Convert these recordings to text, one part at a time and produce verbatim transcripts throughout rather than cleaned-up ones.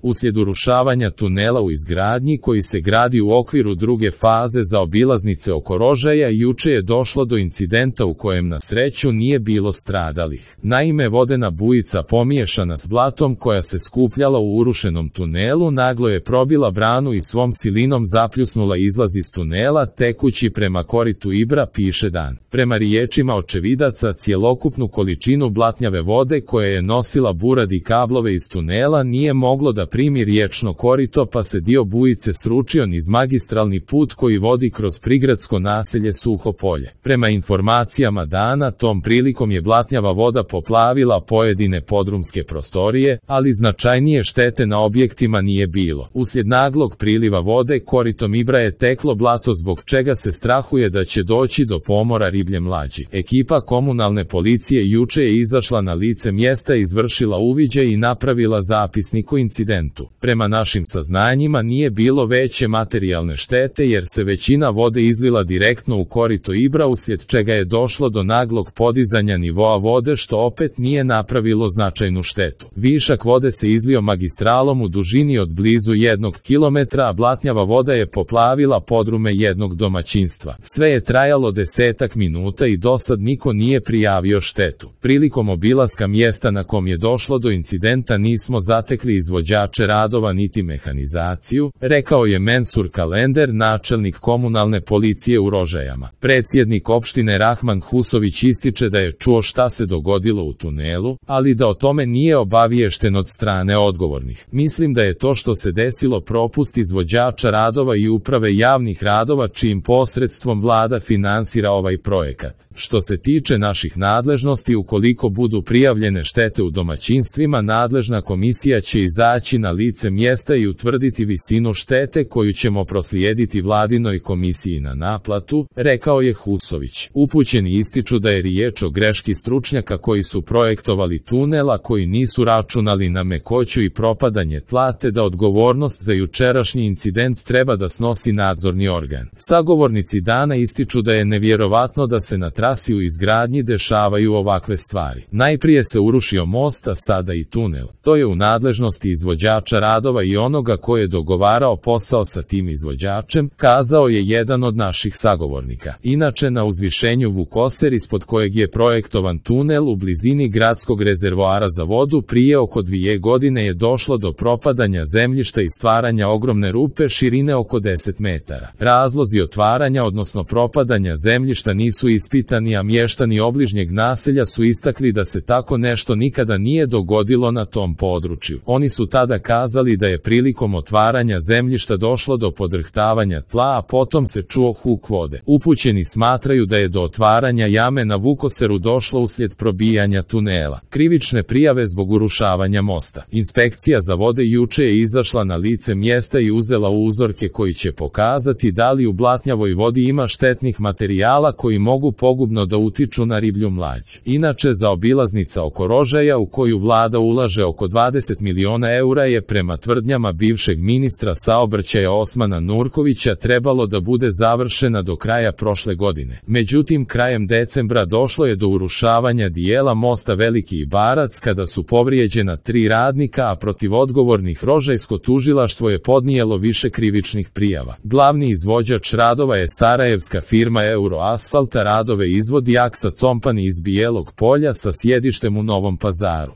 Uslijed urušavanja tunela u izgradnji koji se gradi u okviru druge faze zaobilaznice oko Rožaja, juče je došlo do incidenta u kojem na sreću nije bilo stradalih. Naime, vodena bujica pomiješana s blatom koja se skupljala u urušenom tunelu naglo je probila branu i svom silinom zapljusnula izlaz iz tunela tekući prema koritu Ibra, piše Dan. Prema riječima očevidaca, cjelokupnu količinu blatnjave vode koja je nosila burad i kablove iz tunela nije moglo da primi riječno korito, pa se dio bujice sručio niz magistralni put koji vodi kroz prigradsko naselje Suho Polje. Prema informacijama Dana, tom prilikom je blatnjava voda poplavila pojedine podrumske prostorije, ali značajnije štete na objektima nije bilo. Uslijed naglog priliva vode koritom Ibra je teklo blato, zbog čega se strahuje da će doći do pomora riblje mlađi. Ekipa komunalne policije juče je izašla na lice mjesta, izvršila uviđaj i napravila zapisnik o incidentu. Prema našim saznanjima nije bilo veće materijalne štete jer se većina vode izlila direktno u korito Ibra, uslijed čega je došlo do naglog podizanja nivoa vode, što opet nije napravilo značajnu štetu. Višak vode se izlio magistralom u dužini od blizu jednog kilometra, a blatnjava voda je poplavila podrume jednog domaćinstva. Sve je trajalo desetak minuta i dosad niko nije prijavio štetu. Prilikom obilaska mjesta na kom je došlo do incidenta nismo zatekli izvođače radova niti mehanizaciju, rekao je Mensur Kalender, načelnik komunalne policije u Rožajama. Predsjednik opštine Rahman Husović ističe da je čuo šta se dogodilo u tunelu, ali da o tome nije obaviješten od strane odgovornih. Mislim da je to što se desilo propust izvođača radova i uprave javnih radova, čijim posredstvom vlada finansira ovaj projekat. Što se tiče naših nadležnosti, ukoliko budu prijavljene štete u domaćinstvima, nadležna komisija će izaći na lice mjesta i utvrditi visinu štete koju ćemo proslijediti vladinoj komisiji na naplatu, rekao je Husović. Upućeni ističu da je riječ o greški stručnjaka koji su projektovali tunel, a koji nisu računali na mekoću i propadanje tla, te da odgovornost za jučerašnji incident treba da snosi nadzorni organ. Sagovornici Dana ističu da je nevjerovatno da se na trasi u izgradnji dešavaju ovakve stvari. Najprije se urušio most, a sada i tunel. To je u nadležnosti izvođača radova i onoga ko je dogovarao posao sa tim izvođačem, kazao je jedan od naših sagovornika. Inače, na uzvišenju Vukoser, ispod kojeg je projektovan tunel u blizini gradskog rezervoara za vodu, prije oko dvije godine je došlo do propadanja zemljišta i stvaranja ogromne rupe širine oko deset metara. Razlozi otvaranja, odnosno propadanja zemljišta nisu ispitani, a mještani obližnjeg naselja su istakli da se tako nešto nikada nije dogodilo na tom području. Oni su tada kazali da je prilikom otvaranja zemljišta došlo do podrhtavanja tla, a potom se čuo huk vode. Upućeni smatraju da je do otvaranja jame na Vukoseru došlo uslijed probijanja tunela. Krivične prijave zbog urušavanja mosta. Inspekcija za vode juče je izašla na lice mjesta i uzela uzorke koji će pokazati da li u blatnjavoj vodi ima štetnih materijala koji mogu pogubno da utiču na riblju mlađ. Inače, zaobilaznica oko Rožaja, u koju vlada ulaže oko dvadeset miliona eura, je prema tvrdnjama bivšeg ministra saobraćaja Osmana Nurkovića trebalo da bude završena do kraja prošle godine. Međutim, krajem decembra došlo je do urušavanja dijela mosta Veliki Ibarac kada su povrijeđena tri radnika, a protiv odgovornih Rožajsko tužilaštvo je podnijelo više krivičnih prijava. Glavni izvođač radova je sarajevska firma Euroasfalt, a radove izvodi Aksa Company iz Bijelog Polja sa sjedištem u Novom Pazaru.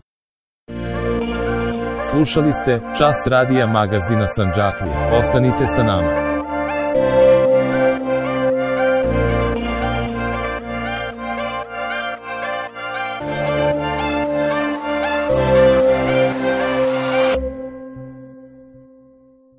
Slušali ste Čas radija magazina Sandžaklija. Ostanite sa nama.